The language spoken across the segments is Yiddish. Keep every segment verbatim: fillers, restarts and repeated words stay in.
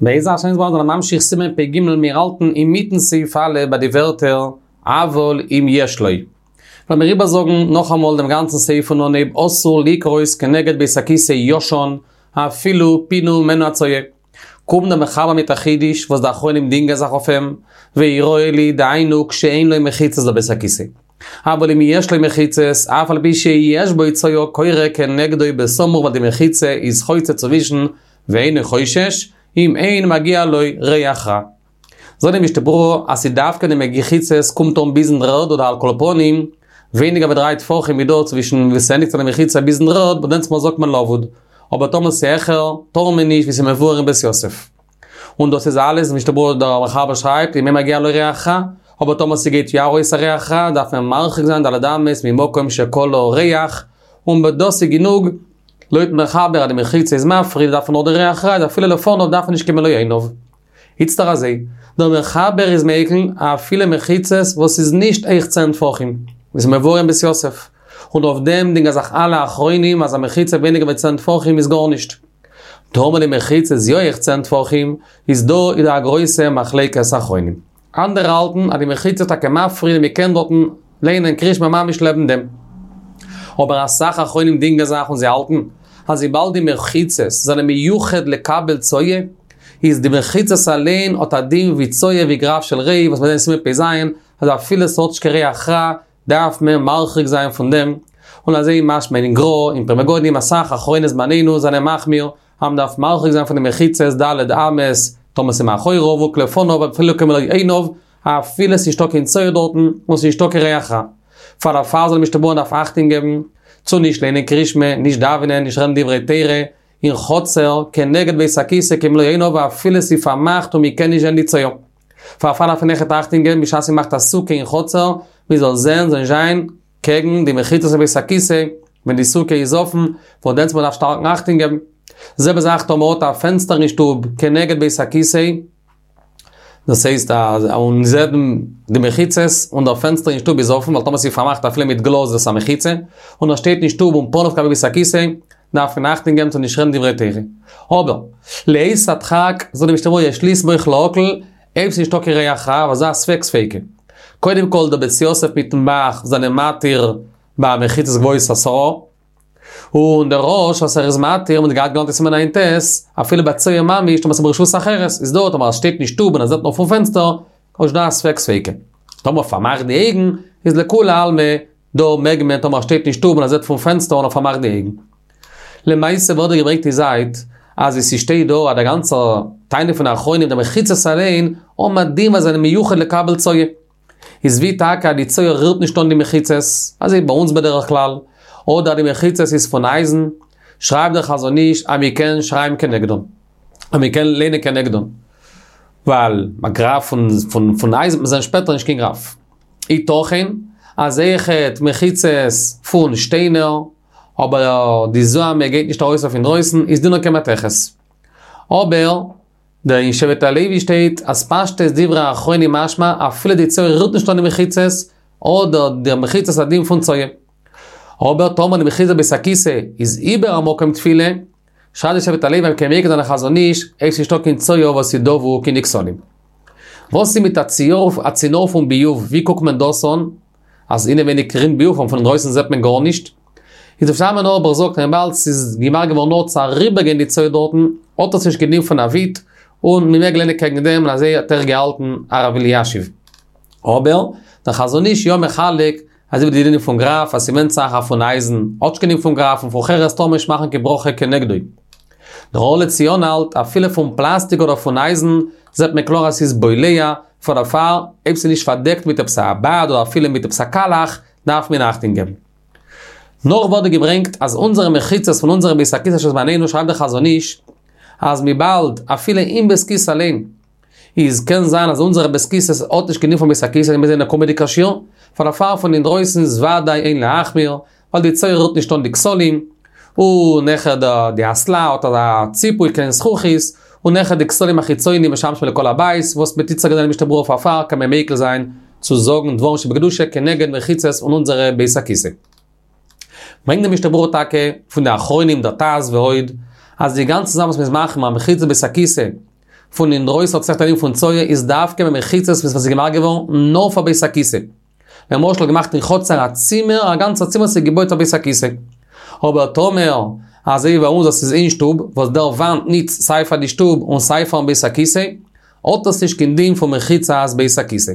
בעזר השם יתברך זענען ממשיך סימן פ"ג מיר האלטן אינמיטן סעיף א' ביי די ווערטער אבל אם יש לו. וועלן מיר איבערזאגן נאכאמאל דעם גאנצן סעיף פון אנהייב אסור לקרות כנגד בית הכסא ישן אפילו פינו ממנו הצואה. קומט דער מחבר מיט א חידוש וואס די אחרונים דינגען זיך אויף אים, ויראה לי דהיינו כשאין לו מחיצות בבית הכסא. אבל אם יש לו מחיצות, אף על פי שיש בו צואה קורא כנגדו בסמוך ווייל די מחיצה איז חוצה צווישן ואינו חושש, אם אין מגיע לו ריח רע. זאגט די משנה ברורה אז ס'איז דווקא די מחיצות קומט אן ביזן דר'ערד אדער על כל פנים ווייניגער ווי דריי טפחים איז דא צווישן ווי ס'ענדיגט זיך די מחיצה ביזן דר'ערד וואס דענסטמאל זאגט מען לבוד אבער טאמער ס'העכער טאר מען נישט ווי ס'איז מבואר אין בית יוסף. און דאס איז אלעס משנה ברורה דער מחבר שרייבט אם אין מגיע לו ריח רע, אבער טאמער ס'גייט יא ארויס א ריח רע דארף מען מרחיק זיין ד' אמות ממקום שכלה ריח, און דאס איז גענוג לויטן מחבר אז די מחיצה איז מפריד דארף מען נאר די ריח רע איז אפילו לפניו דארף מען נישט קיין מלא עיניו. איצטער אזוי, דער מחבר איז מיקל אפילו מחיצות וואס איז נישט הויך צען טפחים, ווי ס'איז מבואר אין בית יוסף, און אויף דעם דינגען זיך אלע אחרונים אז א מחיצה ווייניגער ווי צען טפחים איז גארנישט. טאמער די מחיצה איז יא הויך צען טפחים, איז דא איז דא א גרויסע מחלוקת אחרונים. אנדערע האלטן אז די מחיצה איז טאקע מפריד און מ'קען דארטן ליינען קריאת שמע ממש לעבן דעם. אבער אסאך אחרונים דינגען זיך און זיי האלטן אז וויבאלד די מחיצות זענען מיוחד לקבל צואה, איז די מחיצות אליין האט א דין ווי צואה ווי גרף של רעי וואס מיר זעהן אין סימן פ"ז אז אפילו ס'האט נישט קיין ריח רע דארף מען מרחיק זיין פון דעם, און אזוי משמע אין גר"א, אין פרי מגדים אסאך אחרוני זמנינו זענען מחמיר אז מ'דארף מרחיק זיין פון די מחיצות ד' אמות, טאמער ס'איז מאחוריו וכלפניו אפילו כמלא עיניו, אפילו ס'איז נישטא קיין צואה דארטן און ס'איז נישטא קיין ריח רע. פאר דערפאר זאגט די משנה ברורה מ'דארף אכטונג געבן צו נישט ליינען קריאת שמע, נישט דאווענען, נישט רעדן דברי תורה, אין חצר, כנגד בית הכסא כמלא עיניו אפילו ס'איז פארמאכט און מ'קען נישט זען די צואה. פאר דערפאר דארף מען אויכעט אכטונג געבן בשעת מ'מאכט א סוכה אין חצר, מ'זאל זען זאל נישט זיין קעגן די מחיצות פון בית הכסא ווען די סוכה איז אפן, וואס דענסטמאל דארף שטארקן אכטונג געבן. זעלבע זאך טאמער מ'האט א פענסטער אין שטוב כנגד בית הכסא, דאס הייסט אז און זעט די מחיצות און דער פענסטער אין שטוב איז אפן, ווייל טאמער ס'איז פארמאכט אפילו מיט גלאז איז עס א מחיצה, און ער שטייט אין שטוב און פניו כלפי בית הכסא, דארף מען אכטונג געבן צו נישט רעדן דברי תורה. אבער, לעת הדחק, זאגט די משנה ברורה יש לסמוך להקל, אויב ס'איז נישטא קיין ריח רע, אבער ס'איז א ספק ספיקא. קודם כל דער בית יוסף מיטן ב"ח זענען מתיר ביי מחיצות גבוהות עשרה, און דער רא"ש וואס ער איז מתיר, מ'האט געהאט געלערנט אין סימן ע"ט, אפילו ביי צואה ממש, טאמער ס'איז ברשות אחרת, איז דא, טאמער ער שטייט אין שטוב און ער זעט נאר פון פענסטער, איז דא א ספק ספיקא. טאמער פארמאכט די אויגן, איז לכולי עלמא, דא מעג מען טאמער ער שטייט אין שטוב און ער זעט פון פענסטער און ער פארמאכט די אויגן. למעשה ווערט דא געברענגט אין זייט אז ווי ס'שטייט דא אז דער גאנצער טענה פון די אחרונים די מחיצות אליין האבן א דין וואס זענען מיוחד לקבל צואה. איז ווי טאקע אז די צואה רירט נישט אן די מחיצות, אזוי ביי אונז בדרך כלל, אדער די מחיצות איז פון אייזן, שרייבט דער חזון איש אז מ'קען שרייבן כנגדן. אז מ'קען ליינען כנגדן. ווייל א גרף פון פון אייזן וועט מען זען שפעטער נישט קיין גרף. יתכן אז אויכעט מחיצות פון שטיינער, אבער די זוהמא גייט נישט ארויס אויף אינדרויסן, איז דינן כמתכת. אבער דער אין שבט הלוי שטייט אז פשטות דברי האחרונים משמע אפילו די צואה רירט נישט אן די מחיצות, האט די מחיצות א דין פון צואה. אבער טאמער די מחיצה בית הכיסא איז איבער א מקום תפילה, שרייבט די שבט הלוי אז מ'קען מיקל זיין א חזון איש, אויב ס'נישטא קיין צואה וואס איז דבוק אין די כתלים. וואס איז מיט א ציור א צינור פון ביוב, ווי קוקט מען דאס אן? אז אינעווייניג רינט ביוב און פון אינדרויסן זעט מען גארנישט? איז ר' שלמה אויערבאך זאגט אז וויבאלד ס'איז געמאכט געווארן נאר צו אריבערגיין די צואה דארטן, האט עס נישט קיין דין פון א וויט, און מ'מעג ליינען קעגן דעם און אזוי האט אויך געהאלטן הרב אלישיב. אבער, דער חזון איש יא מחלק, אזוי ווי די דינים פון גרף, אז ס'ווענדט זיך אז פון אייזן האט נישט קיין דין פון גרף און פון חרס טאר מען נישט מאכן קיין ברכה כנגדו. דער אור לציון האלט, אפילו פון פלאסטיק אדער פון אייזן, זעט מען קלאר אז ס'איז בולע, פאר דערפאר, אויב ס'איז נישט פארדעקט מיט עפעס א בד אדער אפילו מיט עפעס א קאלעך, דארף מען אכטונג געבן. נאך ווערט דא געברענגט אז אונזערע מחיצות פון אונזערע בית הכסא של זמנינו שרייבט דער חזון איש, אז וויבאלד אפילו אין בית כסא אליין, איז קען זיין אז אונזערע בית כסא'ס האט נישט קיין דין פון בית הכסא מיר זענען קומענדיגע שיעור, פאר דערפאר פון אינדרויסן איז וודאי אין להחמיר, ווייל די צואה רירט נישט אן די כתלים, און אויכעט די אסלה האט אזא ציפוי כעין זכוכית, און אויכעט די כתלים החיצונים משמשים לכל הבית, וואס מ'האט איצטער געזען אין משנה ברורה פארפאר קען מען מיקל זיין צו זאגן דברים שבקדושה כנגד מחיצות פון אונזערע בית הכסא. ברענגט די משנה ברורה טאקע פון די אחרונים דער ט"ז ועוד, אז די גאנצע זאך וואס מ'איז מחמיר מחיצות בית הכסא, פון אינדרויסן האט עס א דין פון צואה איז דווקא ביי מחיצות וואס איז געמאכט געווארן נאר פאר בית הכיסא. למשל געמאכט אין חצר א צימער, א גאנצע צימער וואס איז געבויט פאר בית הכיסא. אבער טאמער, אזוי ווי ביי אונז אז ס'איז אין שטוב, וואס דער וואנט ניצט סיי פאר די שטוב און סיי פארן בית הכיסא, האט עס נישט קיין דין פון מחיצת בית הכיסא.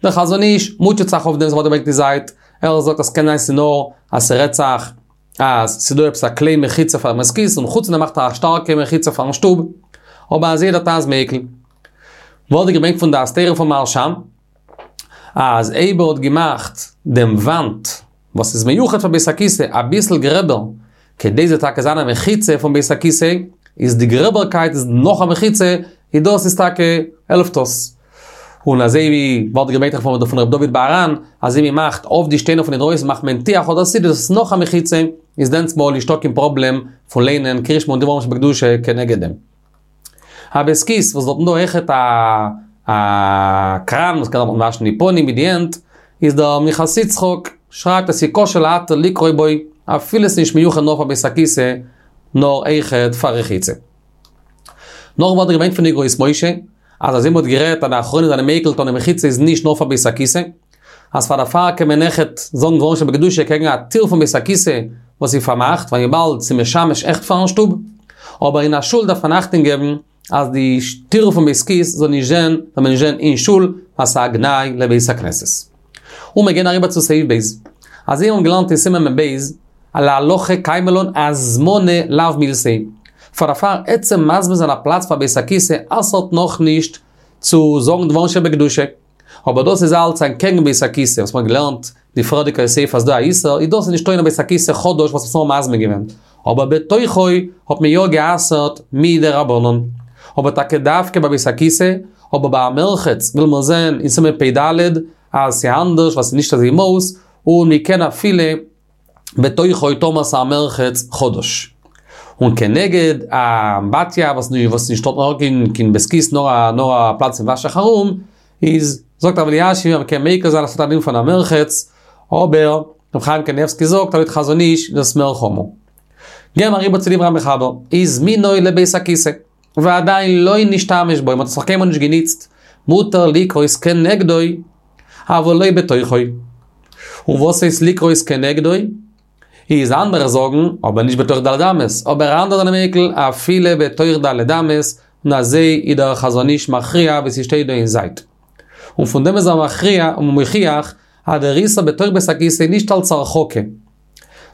דער חזון איש מוטשעט זיך אויף דעם וואס מ'האט געברענגט די זייט, ער זאגט אז ס'קען זיין ס'איז נאר אז ס'רעדט זיך אז ס'איז דא עפעס א קליין מחיצה פארן בית הכיסא און חוץ פון דעם מאכט ער א שטארקע מחיצה פארן שטוב, אבער אזוי דער טז מיקל. ווערט געברענגט פון דעת תורה פון מהרשם אז אויב ער האט געמאכט דעם וואנט וואס איז מיוחד פאר בית הכיסא אביסל גרעבער כדי ס'זאל טאקע זיין א מחיצה פון בית הכיסא, איז די גרעבערקייט איז נאך א מחיצה, איז דאס איז טאקע העלפט עס. און אזוי ווי ווערט געברענגט פון ר' דוד בהר"ן, אז אויב מ'מאכט אויף די שטיינער פון אינדרויסן מאכט מען טיח אדער סיד איז עס נאך א מחיצה, איז דענסטמאל נישטא קיין פראבלעם פון ליינען קריאת שמע און דברים שבקדושה כנגד דעם. א בית הכסא וואס דארטן דא אויכעט א א קראן וואס קען דארטן וואשן די פנים מיט די הענט, איז דער מנחת יצחק שרייבט אז ס'איז כשר להתיר לקרוא בו אפילו ס'איז נישט מיוחד נאר פאר בית הכסא נאר אויכעט פאר רחיצה. נאך ווערט געברענגט פון אגרות משה אז אזוי מ'האט גערעדט אז די אחרונים זענען מיקל אז די מחיצה איז נישט נאר פאר בית הכסא, אז פאר דערפאר קען מען אויכעט זאגן דברים שבקדושה קעגן א טיר פון בית הכסא וואס איז פארמאכט, ווייל וויבאלד ס'איז משמש עכט פארן שטוב. אבער אין א שול דארף מען אכטונג געבן אז די טיר פון בית הכסא זאל נישט זען, זאל מען נישט זען אין שול, ווייל ס'איז א גנאי לבית הכנסת. און מיר גייען אריבער צו סעיף ב'. אזוי האבן געלערנט אין סימן מ"ב, אז להלכה קיימא לן הזמנה לאו מילתא היא. פאר דערפאר עצם מזמין זיין א פלאץ פאר בית הכסא אסר'ט נאכנישט צו זאגן דברים שבקדושה. אבער דאס איז אלץ אנטקעגן בית הכסא וואס מ'האט געלערנט די פריערדיגע סעיף אז דא א איסור, איז דאס איז נישטא אין א בית הכסא חדש וואס מ'האט נאר מזמין געווען. אבער בתוכו האט מען יא גע'אסר'ט מדרבנן. אבער טאקע דווקא ביי בית הכסא, אבער ביי א מרחץ וויל מען זען אין סימן פ"ד אז ס'איז אנדערש ווייל ס'איז נישט אזוי מאוס, און מ'קען אפילו בתוכו טאמער ס'איז א מרחץ חדש. און כנגד א אמבטיה וואס וואס נישט דארט נאר קיין בית הכסא נאר א נאר א פלאץ פון וואש זיך ארום, איז זאגט הרב אלישיב אז מ'קען מיקל זיין אז ס'האט א דין פון א מרחץ, אבער ר' חיים קניבסקי זאגט אז לויט חזון איש איז דאס מער חמור. גייען מיר אריבער צו דברי המחבר, הזמינו לבית הכסא, ועדיין לא נשתמש בו, מ'האט עס נאך קיינמאל נישט געניצט, מותר לקרות כנגדו, אבל לא בתוכו. און וואס הייסט לקרות כנגדו? איז אנדערע זאגן, אבער נישט בתוך ד' אמות, אבער אנדערע זענען מיקל אפילו בתוך ד' אמות, און אזוי איז דער חזון איש מכריע ווי ס'שטייט דא אין זייט. און פון דעם איז ער מכריע און מוכיח אז דער איסור בתוך בית הכסא איז נישט אלץ הרחקה,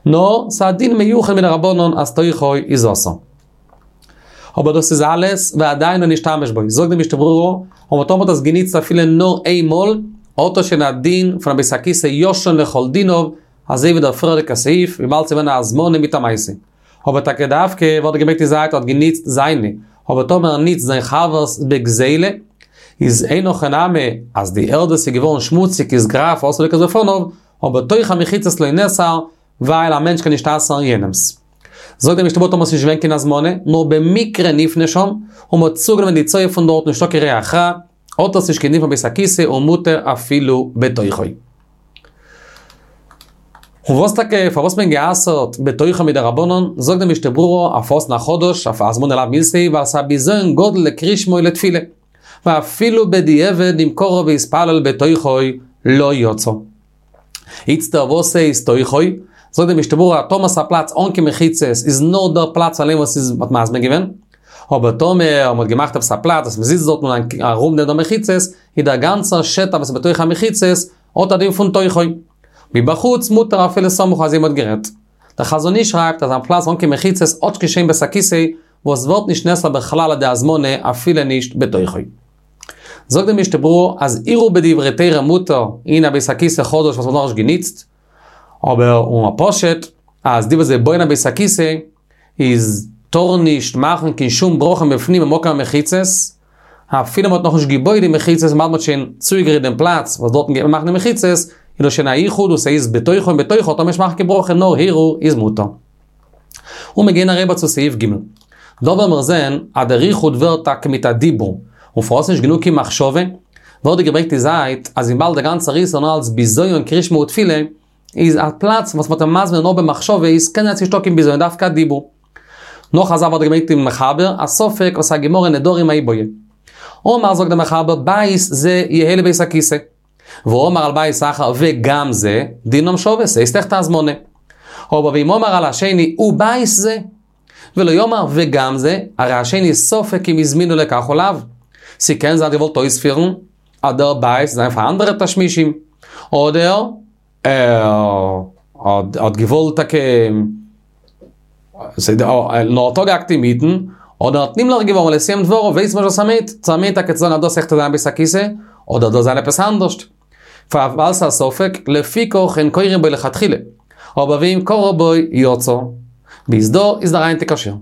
נאר ס'איז א דין מיוחד מדרבנן אז תוכו איז אסור. אבער דאס איז אלעס ועדיין לא נשתמש בו, זאגט די משנה ברורה, אבער טאמער מ'האט עס געניצט אפילו נאר איין מאל, האט עס שוין א דין פון א בית הכסא ישן לכל דיניו, אזוי ווי דער פריערדיגע סעיף, וויבאלד ס'איז געווען א הזמנה מיט א מעשה. אבער טאקע דווקא ווערט געברענגט אין זייט האט געניצט זיינע, אבער טאמער ער ניצט זיין חבר'ס בגזילה, איז אין הכי נמי אז די ערד וואס איז געווארן שמוציג איז גרף אסור לקרות בפניו, אבער תוך המחיצות לא נאסר, ווייל א מענטש קען נישט אסר'ן יענעמ'ס. זאגט דער משנה ברורה טאמער ס'איז נישט געווען קיין הזמנה, נאר במקרה נפנה שם, און מ'האט צוגענומען די צואה פון דארט נישטא קיין ריח רע, האט עס נישט קיין דין פון בית הכסא און מותר אפילו בתוכו. און וואס טאקע, פארוואס מען גע'אסר'ט בתוכו מדרבנן, זאגט דער משנה ברורה אויף וואס אין א חדש, אויף הזמנה לאו מילתא היא, ווייל ס'איז א בזיון גדול לקריאת שמע ולתפילה. ואפילו בדיעבד אם קרא והתפלל בתוכו לא יצא. איצטער וואס הייסט תוכו? זאגט די משנה ברורה אז טאמער ס'איז א פלאץ אן קיין מחיצות איז נאר דער פלאץ אליין וואס איז מ'האט מזמין געווען, אבער טאמער מ'האט געמאכט עפעס א פלאץ וואס מ'זיצט דארט און ארום דעם דא מחיצות, איז דער גאנצער שטח וואס איז בתוך המחיצות האט א דין פון תוכו. מבחוץ מותר אפילו סמוך אזוי מ'האט גערעדט. דער חזון איש שרייבט אז א פלאץ אן קיין מחיצות האט נישט קיין שם בית הכסא וואס ווערט נישט נאסר בכלל על ידי הזמנה אפילו נישט בתוכו. זאגט די משנה ברורה אז הרהור בדברי תורה מותר אין א בית הכסא חדש וואס מ'האט נאכנישט געניצט, אבער און א פשוט אז די וואס זיי בויען א בית הכסא איז טארן נישט מאכן קיין שום ברכה מבפנים במקום המחיצות, אפילו מ'האט נאכנישט געבויט די מחיצות וויבאלד מ'האט שוין צוגעגרייט דעם פלאץ וואס דארטן גייט מען מאכן די מחיצות, איז דאס שוין א יחוד וואס ס'איז בתוכו און בתוכו טאר מען נישט מאכן קיין ברכה נאר הרהור איז מותר. און מיר גייען אריבער צו סעיף ג'. דא וועלן מיר זען אז דער יחוד ווערט טאקע מיט א דיבור, און פארוואס נישט גענוג קיין מחשבה, ווערט דא געברענגט די זייט אז וויבאלד דער גאנצער איסור נאר אלס בזיון קריאת שמע ותפילה, איז א פלאץ וואס מ'האט אים מזמין נאר במחשבה איז קען זיין ס'נישטא קיין בזיון דווקא א דיבור. נאך א זאך וואס האט געברענגט אין מחבר, א ספק וואס א גמרא אין נדרים מאי בעי. אמר זאגט דער מחבר בית זה יהא לבית הכיסא. ואמר על בית אחר וגם זה, דינם שווה, ס'הייסט אויכעט א הזמנה. אבער ואם אמר על השני ובית זה, ולא אמר וגם זה, הרי השני ספק אם הזמינו לכך או לאו. ס'קען זיין געוואלט אויספירן, אז דער בית זיין פאר אנדערע תשמישים. אדער, ער האט געוואלט טאקע, נאר האט אפגעהאקט אינמיטן, אדער האט נמלך געווארן לא סיים דבריו, ווייסט מען נישט וואס ער מיינט, צו ער מיינט טאקע צו זאגן אז דאס אויכעט זיין בית הכיסא, אדער דאס זיין עפעס אנדערשט. ווייל ס'איז א ספק, לפיכך אין קורין בו לכתחילה. אבער ואם קרא בו יצא. ביז דא איז דער היינטיגער שיעור.